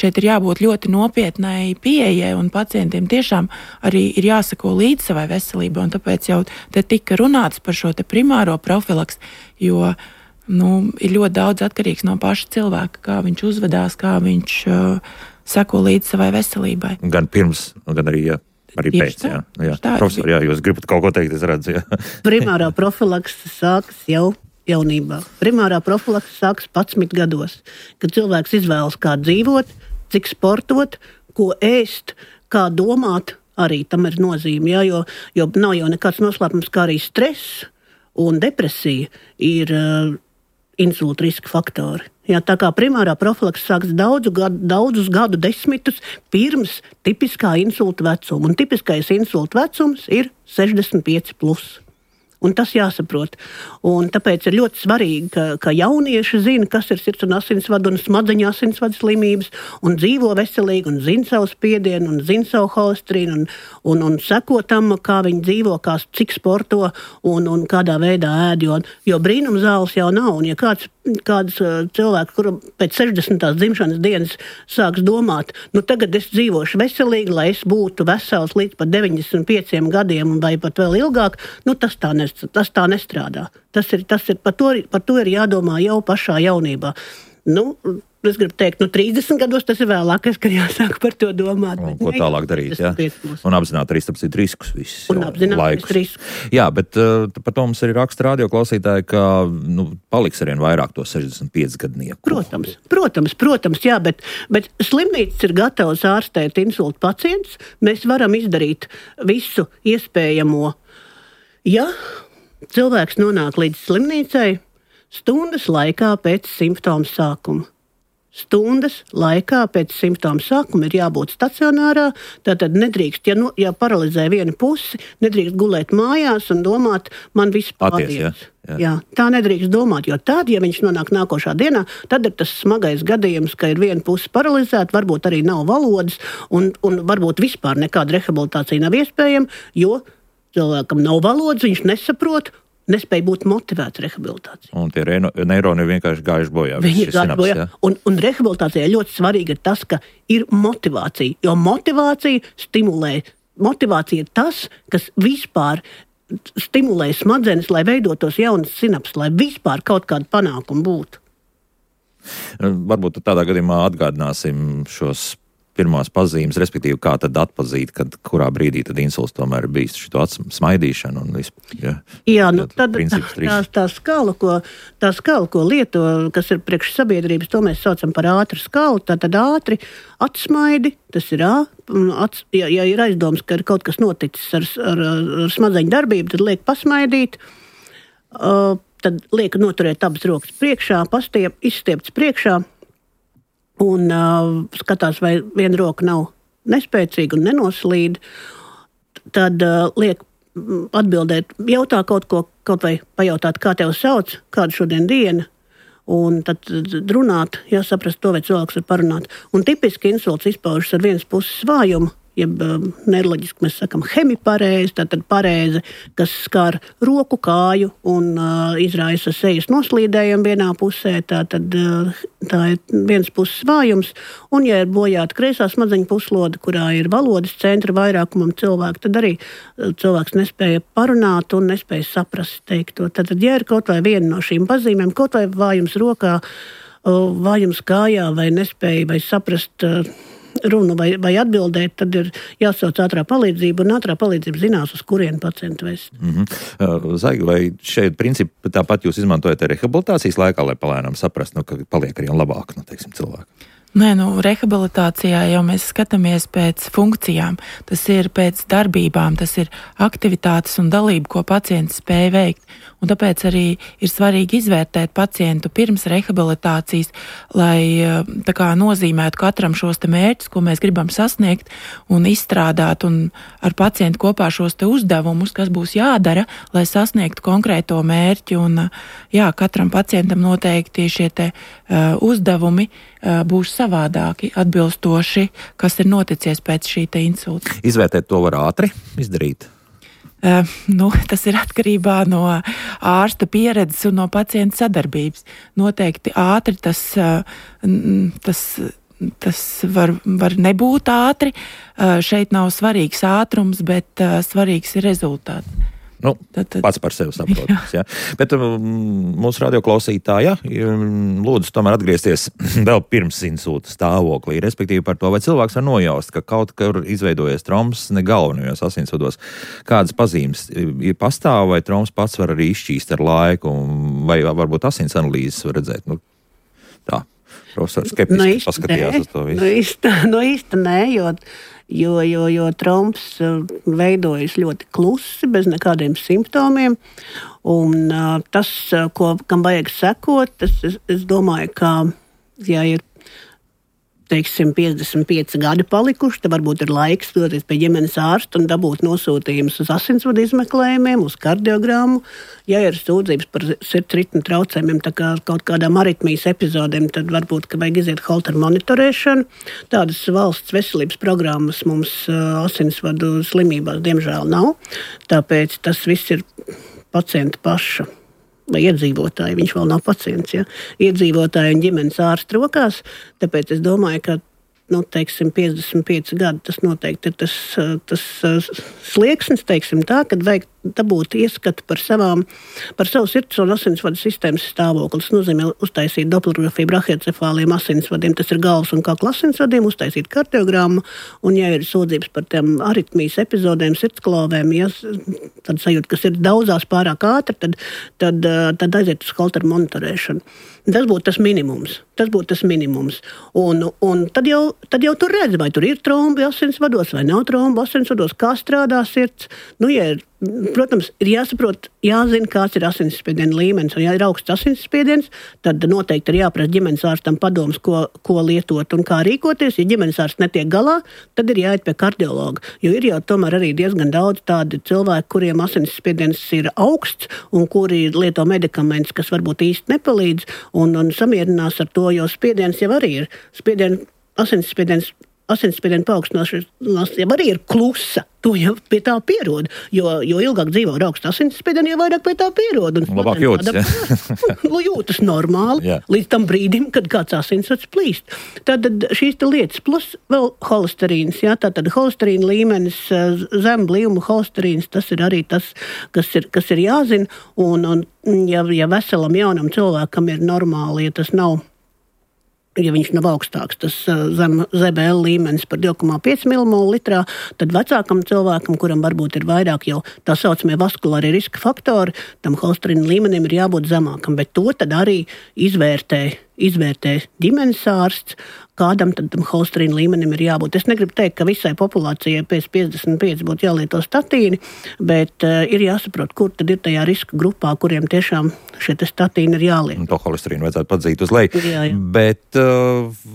šeit ir jābūt ļoti nopietnai pieejai, un pacientiem tiešām arī ir jāsako līdz savai veselībai, un tāpēc jau te tika runāts par šo primāro profilaks, jo ir ļoti daudz atkarīgs no paša cilvēka, kā viņš uzvedās, kā viņš seko līdz savai veselībai.
Gan pirms, gan arī pēc. Jā. Profesor, jūs gribat kaut ko teikt, es redzu. Jā.
Primārā profilakse sākas jau jaunībā. Primārā profilakse sākas 11 gados, kad cilvēks izvēlas, kā dzīvot, cik sportot, ko ēst, kā domāt, arī tam ir nozīme. Jā, jo nav jau nekāds noslēpums, kā arī stress un depresija ir insulta riska faktori. Jā, tā kā primārā profilakse sāks daudzus gadu desmitus pirms tipiskā insulta vecuma. Un tipiskais insulta vecums ir 65+. Un tas jāsaprot. Un tāpēc ir ļoti svarīgi, ka jaunieši zina, kas ir sirds un asinsvadu un smadzeņu asinsvadu slimības, un dzīvo veselīgi, un zina savu spiedienu, un zina savu holesterīnu, un seko tam, kā viņi dzīvo, cik sporto un kādā veidā ēd. Jo brīnum zāles jau nav. Un ja kāds cilvēks, kuru pēc 60. dzimšanas dienas sāks domāt, tagad es dzīvošu veselīgi, lai es būtu vesels līdz pat 95 gadiem vai pat vēl ilgāk, tas tā nestrādā. Tas ir, par to ir jādomā jau pašā jaunībā. Es gribu teikt, 30 gados tas ir vēlākais, kad jāsāk par to domāt.
Ko tālāk darīt, jā? Un apzināt arī riskus visus.
Un apzināt riskus.
Jā, bet par to mums arī raksta radioklausītāji, ka paliks arvien vairāk to 65 gadnieku.
Protams, jā, bet slimnīcas ir gatavas ārstēt insulta pacientus. Mēs varam izdarīt visu iespējamo. Ja cilvēks nonāk līdz slimnīcai stundas laikā pēc simptomu sākuma. Stundas laikā pēc simptomu sākuma ir jābūt stacionārā, tātad nedrīkst, ja paralizē vienu pusi, nedrīkst gulēt mājās un domāt, man viss pārdies. Jā, tā nedrīkst domāt, jo tad, ja viņš nonāk nākošā dienā, tad ir tas smagais gadījums, ka ir viena puse paralizēta, varbūt arī nav valodas un varbūt vispār nekāda rehabilitācija nav iespējama, jo cilvēkam nav valodas, viņš nesaprot, nespēja būt motivēts rehabilitācijai.
Un tie neironi ir vienkārši gājuši bojā.
Viņi ir gājuši bojā. Un rehabilitācijai ļoti svarīgi ir tas, ka ir motivācija, jo motivācija stimulē. Motivācija ir tas, kas vispār stimulē smadzenes, lai veidotos jaunas sinapses, lai vispār kaut kāda panākuma būtu.
Varbūt tādā gadījumā atgādināsim šos pirmās pazīmes, respektīvi, kā tad atpazīt, kurā brīdī tad insults tomēr ir bijis šito smaidīšanu un vispār.
Jā, tad tā skala, ko lieto, kas ir priekš sabiedrības, to mēs saucam par ātru skalu, tad ātri atsmaidi, tas ir ja ir aizdoms, ka ir kaut kas noticis ar smadzeņu darbību, tad liek pasmaidīt, tad liek noturēt abas rokas priekšā, izstiepts priekšā, un skatās, vai viena roka nav nespēcīga un nenoslīd, tad liek atbildēt, jautā kaut ko, kaut vai pajautāt, kā tev sauc, kāda šodien diena, un tad runāt, jāsaprast to, vai cilvēks var parunāt. Un tipiski insults izpaužas ar vienas puses svājumu, jeb neiroloģiski mēs sakam hemiparēze, tātad parēze, kas skar roku, kāju un izraisa sejas noslīdējumu vienā pusē, tātad tā ir viens puses svājums, un ja ir bojāta kreisā smadzeņu puslode, kurā ir valodas centra vairākumam cilvēku, tad arī cilvēks nespēja parunāt un nespēja saprast teikto. Tātad, ja ir kaut vai viena no šīm pazīmēm, kaut vai vājums rokā, vājums kājā vai nespēja vai saprast runu vai atbildēt, tad ir jāsauc ātrā palīdzība, un ātrā palīdzība zinās, uz kurienu pacientu vest.
Zaigi, vai šeit principi tāpat jūs izmantojat rehabilitācijas laikā, lai palēnām saprast, ka paliek arī labāk, teiksim, cilvēki?
Nē, rehabilitācijā jau mēs skatāmies pēc funkcijām, tas ir pēc darbībām, tas ir aktivitātes un dalība, ko pacients spēj veikt. Un tāpēc arī ir svarīgi izvērtēt pacientu pirms rehabilitācijas, lai tā kā nozīmētu katram šos te mērķus, ko mēs gribam sasniegt un izstrādāt un ar pacientu kopā šos te uzdevumus, kas būs jādara, lai sasniegtu konkrēto mērķi. Un jā, katram pacientam noteikti šie te uzdevumi būs savādāki, atbilstoši, kas ir noticies pēc šī te insulta.
Izvērtēt to var ātri izdarīt?
Tas ir atkarībā no ārsta pieredzes un no pacienta sadarbības. Noteikti ātri tas var nebūt ātri. Šeit nav svarīgs ātrums, bet svarīgs ir rezultāts.
Pats par sevi saprotams. Ja. Bet mūsu radioklausītāja lūdzu tomēr atgriezties vēl pirms insulta stāvoklī, respektīvi par to, vai cilvēks var nojaust, ka kaut kur izveidojies trombs ne galvenajos asinsvados. Kādas pazīmes ir pastāv, vai trombs pats var arī izšķīst ar laiku, vai varbūt asins analīzes var redzēt? Tā, profesors skeptiski paskatījās uz to visu.
Īsti nē, jo trombs veidojas ļoti klusi, bez nekādiem simptomiem. Un tas, kam vajag sekot, es domāju, ka, ja ir, teiksim, 55 gadi palikuši, tad varbūt ir laiks doties pie ģimenes ārsta un dabūt nosūtījumus uz asinsvadu izmeklējumiem, uz kardiogrammu. Ja ir sūdzības par sirds ritmu traucējumiem, tā kā kaut kādām aritmijas epizodēm, tad varbūt, ka vajag iziet Holter monitorēšanu. Tādas valsts veselības programmas mums asinsvadu slimībās diemžēl nav, tāpēc tas viss ir pacienta paša vai iedzīvotāji, viņš vēl nav pacients, ja? Iedzīvotāji un ģimenes ārsta rokās, tāpēc es domāju, ka, teiksim, 55 gadi, tas noteikti ir tas slieksnis, teiksim tā, kad vajag dabūt ieskatu par savu sirds un asinsvadu sistēmas stāvokli. Tas nozīmē uztaisīt doplerografiju brachiocefāliem asinsvadiem, tas ir galvas un kakla asinsvadiem, uztaisīt kardiogrammu, un ja ir sūdzības par tiem aritmijas epizodēm, sirdsklovēm, ja tad sajūt, kas ir daudzās pārāk ātri, tad aiziet uz Holter monitorēšanu. Tas būtu tas minimums. Un tad jau tur redz, vai tur ir trombi asinsvados, vai nav trombi asinsvados, kā strādā sirds. Ja ir, protams, ir jāsaprot, jāzina, kāds ir asinsspiediena līmenis. Un ja ir augsts asinsspiediens, tad noteikti ir jāprasa ģimenes ārstam padoms, ko lietot un kā rīkoties. Ja ģimenes ārsts netiek galā, tad ir jāiet pie kardiologa. Jo ir jau tomēr arī diezgan daudz tādi cilvēki, kuriem asinsspiediens ir augsts un kuri lieto medikamentus, kas varbūt īsti nepalīdz un samierinās ar to, jo spiediens jau arī ir. Asinsspiediena paaugstināšanās jau arī ir klusa. To jau pie tā pierod. Jo ilgāk dzīvo ar augstu asinsspiedienu, jo vairāk pie tā pierod.
Labāk jūtas,
jūtas normāli, jā. Līdz tam brīdim, kad kāds asinsvads plīst. Tātad šīs lietas, plus vēl holesterīns. Jā, tātad holesterīna līmenis, zem blīvuma holesterīns, tas ir arī tas, kas ir jāzina. Un ja veselam jaunam cilvēkam ir normāli, ja viņš nav augstāks, tas zem ZBL līmenis par 2,5 mmol, tad vecākam cilvēkam, kuram varbūt ir vairāk jau tā saucamie vaskulārie riska faktori, tam holesterīna līmenim ir jābūt zemākam, bet to tad arī izvērtē ģimenes ārsts, kādam tad tam holesterīna līmenim ir jābūt. Es negribu teikt, ka visai populācijai pēc 55 būtu jālieto statīni, bet ir jāsaprot, kur tad ir tajā riska grupā, kuriem tiešām šie statīni ir jāliek.
To holesterīnu vajadzētu padzīt uz leju.
Jā.
Bet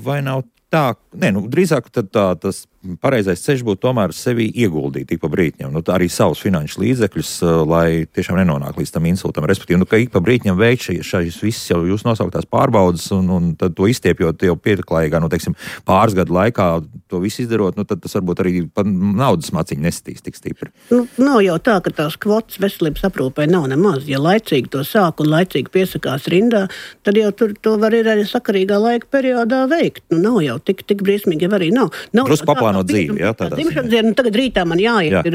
vai nav tā? Drīzāk tas pareizais ceļš būtu tomēr sevi ieguldīt ik pa brītņam, arī savus finanšu līdzekļus, lai tiešām nenonāk līdz tam insultam. Respektīvi, ka ik pa brītņam veikt šīs visas jau jūs nosauktās pārbaudas un tad to izstiepjot jau pieklājīgā, teiksim, pāris gadu laikā to visu izdarot, tad tas varbūt arī pa naudas maciņu nesitīs tik stipri.
Nav jau tā, ka tās kvotas veselības aprūpē nav nemaz. Ja laicīgi to sāk un laicīgi piesakās rindā, tad jau to var arī sakarīgā laika periodā veikt. Nav jau tik briesmīgi, jau arī nav.
Drusku jāplāno dzīvi. Jā,
dzimšanas diena, tagad rītā man jāiet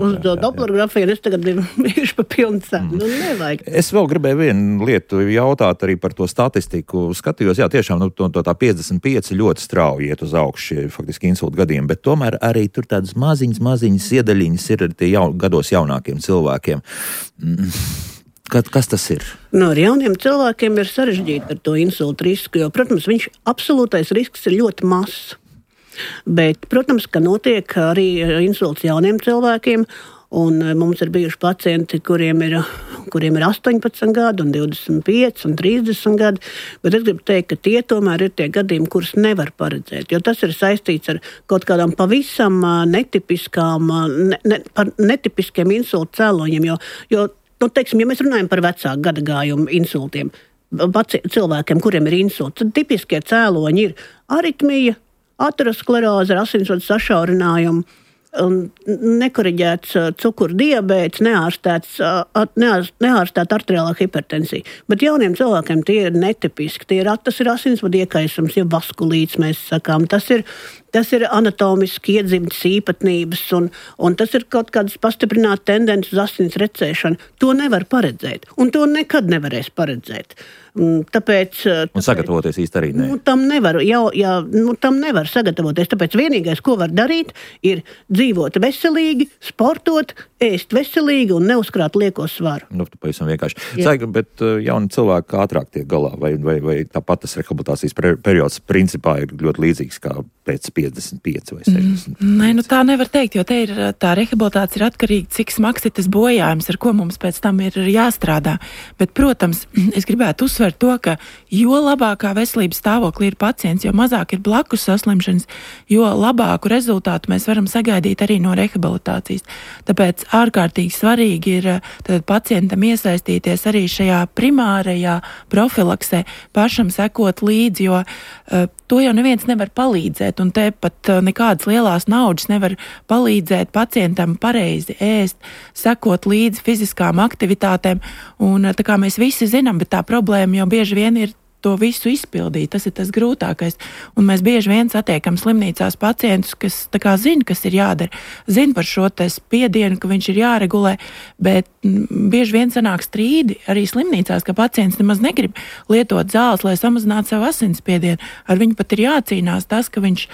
uz Dopplergrafiju, un es tagad bijuši pa pilnu cenu. Nevajag.
Es vēl gribēju vienu lietu jautāt arī par to statistiku. Skatījos, jā, tiešām tā 55 ļoti strauji iet uz augšu, faktiski insulta gadiem, bet tomēr arī tur tādas maziņas iedaļiņas ir tie gados jaunākiem cilvēkiem. Kas tas ir?
Ar jauniem cilvēkiem ir sarežģīti ar to insulta risku, jo, protams, absolūtais risks ir ļoti mazs. Bet, protams, ka notiek arī insults jauniem cilvēkiem, un mums ir bijuši pacienti, kuriem ir 18 gadi, un 25 un 30 gadi, bet es gribu teikt, ka tie tomēr ir tie gadījumi, kurus nevar paredzēt, jo tas ir saistīts ar kaut kādām pavisam netipiskiem insulta cēloņiem, jo teiksim, ja mēs runājam par vecāku gadagājumu insultiem, cilvēkiem, kuriem ir insults, tad tipiskie cēloņi ir aritmija, ateroskleroze ar asinsvadu sašaurinājumu, nekoriģēts cukuru diabēts, neārstēta arteriālā hipertensija. Bet jauniem cilvēkiem tie ir netipiski. Tas ir asinsvadu iekaisums, ja vaskulīts mēs sakām. Tas ir anatomiski iedzimtas īpatnības, un tas ir kaut kādas pastiprināta tendence uz asins recēšanu. To nevar paredzēt, un to nekad nevarēs paredzēt. Tāpēc
sagatavoties īsti arī ne.
Tam nevar sagatavoties. Tāpēc vienīgais, ko var darīt, ir dzīvot veselīgi, sportot, ēst veselīgi un neuzkrāt lieko svaru.
Pavisam vienkārši. Saka, bet jauni cilvēki ātrāk tiek galā, vai tāpat tas rehabilitācijas periods principā ir ļoti līdzīgs kā pēc 55 vai 60?
Nē, tā nevar teikt, jo te ir tā rehabilitācija ir atkarīga, cik smags ir tas bojājums, ar ko mums pēc tam ir jāstrādā. Bet, protams, es gribētu uzsvērt to, ka jo labākā veselības stāvoklī ir pacients, jo mazāk ir blakus saslimšanas, jo labāku rezultātu mēs varam sagaidīt arī no rehabilitācijas. Tāpēc ārkārtīgi svarīgi ir pacientam iesaistīties arī šajā primārajā profilaksē, pašam sekot līdzi, jo to jau neviens nevar palīdzēt, un te pat nekādas lielās naudas nevar palīdzēt pacientam pareizi ēst, sekot līdzi fiziskām aktivitātēm, un tā kā mēs visi zinām, bet tā problēma jau bieži vien ir to visu izpildīt, tas ir tas grūtākais. Un mēs bieži vien satiekam slimnīcās pacientus, kas zina, kas ir jādara, zina par šo spiedienu, ka viņš ir jāregulē, bet bieži vien sanāk strīdi arī slimnīcās, ka pacients nemaz negrib lietot zāles, lai samazinātu savu asinsspiedienu. Ar viņu pat ir jācīnās tas, ka viņu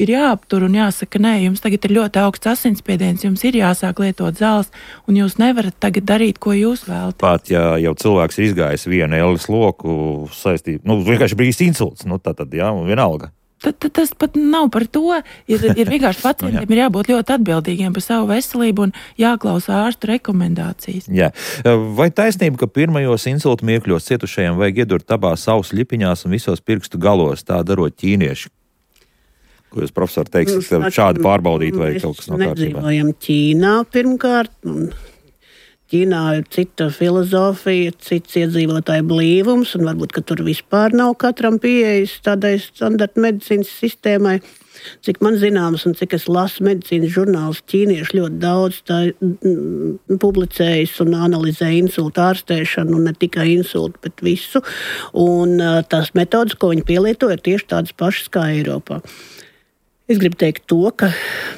ir jāaptur un jāsaka, nē, jums tagad ir ļoti augsts asinsspiediens, jums ir jāsāk lietot zāles, un jūs nevarat tagad darīt, ko jūs vēlaties.
Pat, ja jau cilvēks ir izgājis vienu ellis loku saistīt, vienkārši bijis insults, tad, jā, un vienalga.
Tas pat nav par to. Ir vienkārši pacientiem ir jābūt ļoti atbildīgiem par savu veselību un jāklausa ārstu rekomendācijas.
Jā. Vai taisnība, ka pirmajos insulta mirkļos cietušajiem vajag iedurt abās ausu ļipiņās un visos pirkstu galos, tā darot ķīnieši? Ko jūs, profesori, teiksiet, šādi pārbaudīt vai kaut kas no kārtībā?
Mēs nedzīvojam Ķīnā pirmkārt. Ķīnā ir cita filozofija, cits iedzīvotāju blīvums, un varbūt, ka tur vispār nav katram pieejas tādai standarta medicīnas sistēmai. Cik man zināms un cik es lasu medicīnas žurnālus, ķīnieši ļoti daudz publicējas un analizē insultu ārstēšanu, un ne tikai insultu, bet visu. Un tās metodas, ko viņi pielieto, ir tieši tādas pašas kā Eiropā. Es gribu teikt to, ka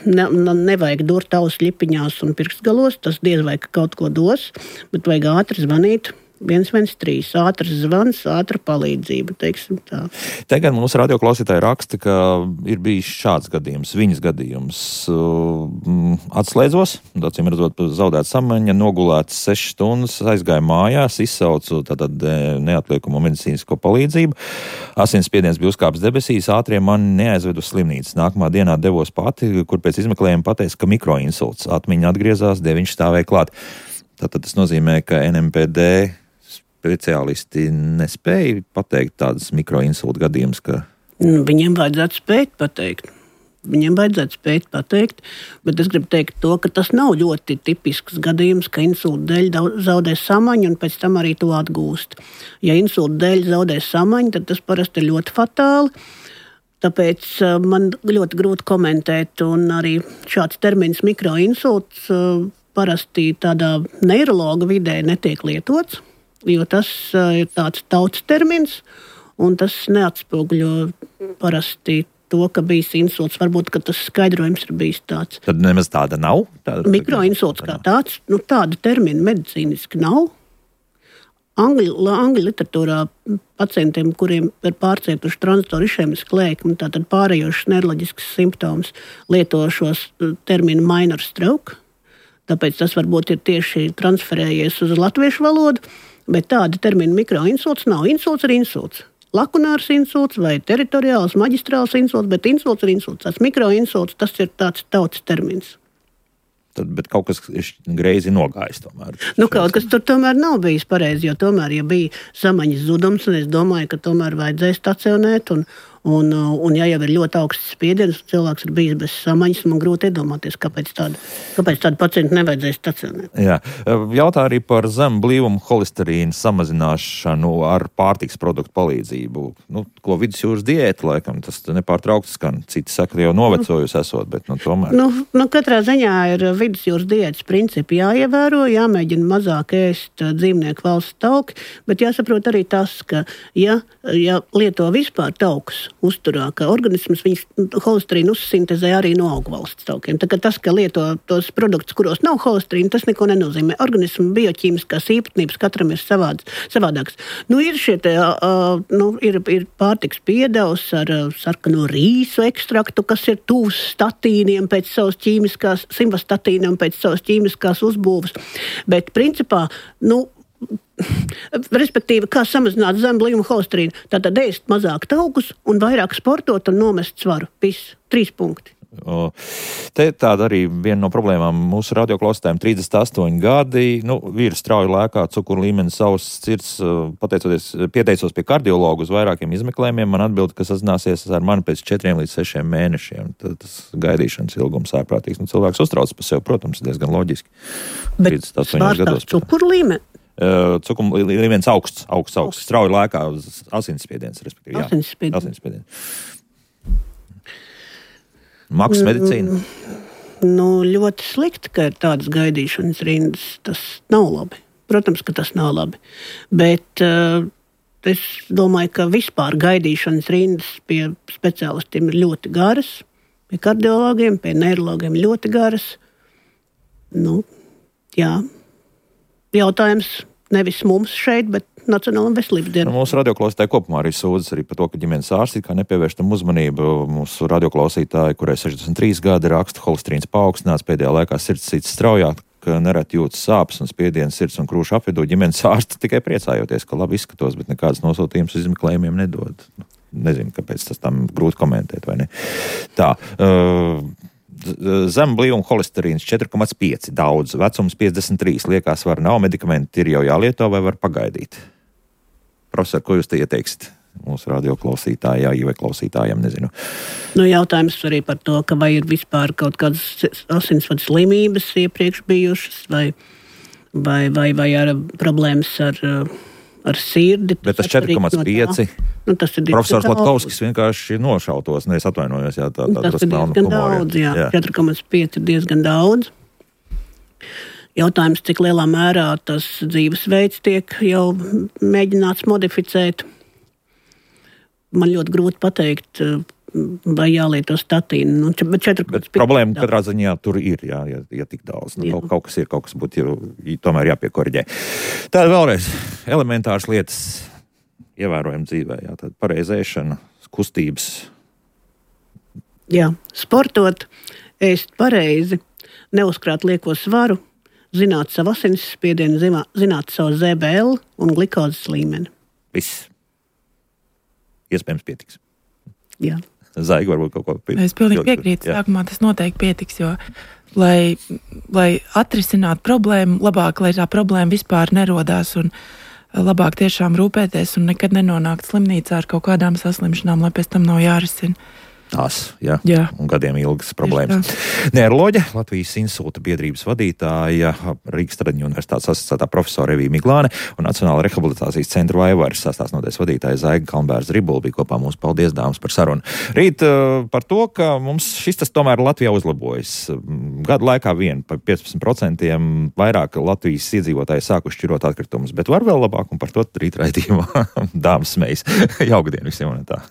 nevajag durt ausu ļipiņās un pirkstgalos, tas diez vai kaut ko dos, bet vajag ātri zvanīt 113, ātrs zvans, ātra palīdzība, teiksim tā.
Tagad mums radioklausītāji raksta, ka ir bijis šāds gadījums, viņas gadījums. Atslēdzos, acīm redzot, zaudēt samaņa, nogulēts 6 stundas, aizgāju mājās, izsaucu tātad neatliekumu medicīnisko palīdzību. Asinsspiediens bija uzkāpis debesīs, ātrie mani neaizved uz slimnīcu. Nākamā dienā devos pati, kur pēc izmeklējuma pateica, ka mikroinsults. Atmiņa atgriezās, deviņš stāvēja klāt. Tātad tas nozīmē, ka NMPD speciālisti nespēja pateikt tādas mikroinsulta gadījumus, ka...
Viņiem vajadzētu spēt pateikt. Bet es gribu teikt to, ka tas nav ļoti tipisks gadījums, ka insulta dēļ zaudē samaņu un pēc tam arī to atgūst. Ja insulta dēļ zaudē samaņu, tad tas parasti ir ļoti fatāli. Tāpēc man ļoti grūti komentēt, un arī šāds termins mikroinsults parasti tādā neirologa vidē netiek lietots, jo tas ir tāds tautas termins, un tas neatspoguļo parasti to, ka bijis insults. Varbūt, ka tas skaidrojums ir bijis tāds.
Tad nemaz tāda nav?
Mikroinsults kā tāds, tāda termina medicīniski nav. Angļu literatūrā pacientiem, kuriem ir pārcietuši tranzitoru išēmisku lēkmi, tātad pārējošas neiroloģiskas simptomus, lieto šos terminu minor stroke. Tāpēc tas varbūt ir tieši transferējies uz latviešu valodu, bet tāda termina mikroinsults nav. Insults ir insults. Lakunārs insults vai teritoriāls, maģistrāls insults, bet insults ir insults. Tas mikroinsults, tas ir tāds tautas termins.
Bet kaut kas ir greizi nogājis tomēr.
Kaut kas tur tomēr nav bijis pareizi, jo tomēr, ja bija samaņas zudums, un es domāju, ka tomēr vajadzēja stacionēt, un ja jau ir ļoti augsts spiediens, cilvēks ir bijis bez samaņas, man grūti iedomāties, kāpēc tādu pacientu nevajadzēja stacionēt.
Jā. Jautā arī par zemu blīvumu holesterīnu samazināšanu ar pārtikas produktu palīdzību. Ko vidusjūras diēta, laikam, tas nepārtraukti skan. Citi saka, jau novecojusi esot, bet tomēr.
Katrā ziņā ir vidusjūras diētas principi jāievēro, jāmēģina mazāk ēst dzīvnieku valsts tauki, bet jāsaprot arī tas, ka ja lieto vispār taukus uzturā, ka organisms holesterīnu uzsintezē arī no augvalsts taukiem. Tā kā tas, ka lieto tos produktus, kuros nav holesterīna, tas neko nenozīmē. Organismu bioķīmiskās īpatnības katram ir savādāks. Ir šie ir pārtiks piedevs ar sarkano rīsu ekstraktu, kas ir tuvs statīniem pēc savas ķīmiskās, simvastatīnam pēc savas ķīmiskās uzbūves. Bet principā, respektīvi, kā samazināt zemu blīvumu holesterīnu, tātad ēst mazāk taukus un vairāk sportot un nomest svaru. 3 punkti.
Te tāda arī viena no problēmām mūsu radioklausītājiem 38 gadi. Vīrs strauji lēkā, cukuru līmenis savs sirds, pieteicos pie kardiologa uz vairākiem izmeklējumiem. Man atbild, ka sazināsies ar mani pēc 4 līdz 6 mēnešiem. Tas gaidīšanas ilgums ārprātīgs. Cilvēks uztrauc par sevi, protams, diezgan loģiski.
Bet svārstās cukuru līmeni?
Cukuma līmenis augsts, strauji lēkā uz asinsspiediens, respektīvi. Asinsspiediens. Maksas medicīna?
Ļoti slikti, ka ir tādas gaidīšanas rindas. Tas nav labi. Protams, ka tas nav labi. Bet es domāju, ka vispār gaidīšanas rindas pie speciālistiem ir ļoti garas. Pie kardiologiem, pie neirologiem ļoti garas. Jā. Jautājums nevis mums šeit, bet Nacionālajā veselības dienā.
Mūsu radioklausītāji kopumā arī sūdzas par to, ka ģimenes ārsti kā nepievērš tam uzmanību. Mūsu radioklausītāji, kurai 63 gadi, raksta, holesterīns paaugstināts, pēdējā laikā sirds cits straujāk, ka nereti jūtas sāpes un spiediens sirds un krūšu apvidū. Ģimenes ārsti tikai priecājoties, ka labi izskatos, bet nekādas nosūtījumus izmeklējumiem nedod. Nezinu, kāpēc tas tam grūti komentēt, vai ne? Tā. Zem blīvuma holesterīns 4,5 daudz, vecums 53, liekā svara nav, medikamenti ir jau jālieto vai var pagaidīt? Profesor, ko jūs te ieteiksiet mūsu radioklausītājai vai klausītājiem, nezinu?
Jautājums arī par to, ka vai ir vispār kaut kādas asinsvadu slimības iepriekš bijušas vai ar problēmas ar sirdi.
Bet tas 4,5. Tas ir profesors Latkovskis vienkārši nošautos, es atvainojos, tā
tas ir diezgan daudz, jā. 4,5 ir diezgan daudz. Jautājums, cik lielā mērā tas dzīvesveids tiek jau mēģināts modificēt. Man ļoti grūti pateikt, vai jālieto statīnu.
Bet problēma katrā ziņā tur ir, ja tik daudz. Kaut kas būtu tomēr jāpiekoriģē. Tāda vēlreiz elementāras lietas ievērojam dzīvē, tāda pareizēšana, kustības.
Jā, sportot, ēst pareizi, neuzkrāt lieko svaru, zināt savu asinsspiedienu, zināt savu ZBL un glikozes līmeni.
Viss. Iespējams pietiks.
Jā.
Zaiga varbūt kaut ko pietiks.
Es pilnīgi piekrītu. Sākumā tas noteikti pietiks, jo, lai atrisinātu problēmu, labāk, lai tā problēma vispār nerodās un labāk tiešām rūpēties un nekad nenonākt slimnīcā ar kaut kādām saslimšanām, lai pēc tam nav jārisina.
Tās, jā. Un gadiem ilgas problēmas. Neiroloģe, Latvijas insulta biedrības vadītāja, Rīgas Tradiņu universitātes asociētā profesora Evija Miglāne un Nacionāla rehabilitācijas centra Vaivaras sastāvnoties vadītāja Zaiga Kalnbērza-Ribula bija kopā mums. Paldies, dāmas, par sarunu. Rīt par to, ka mums šis tas tomēr Latvijā uzlabojas. Gadu laikā par 15% vairāk Latvijas iedzīvotāji sākuši šķirot atkritumus, bet var vēl labāk un par to rīt raidījumā dāmas smejas. Jauku dienu visiem un tā.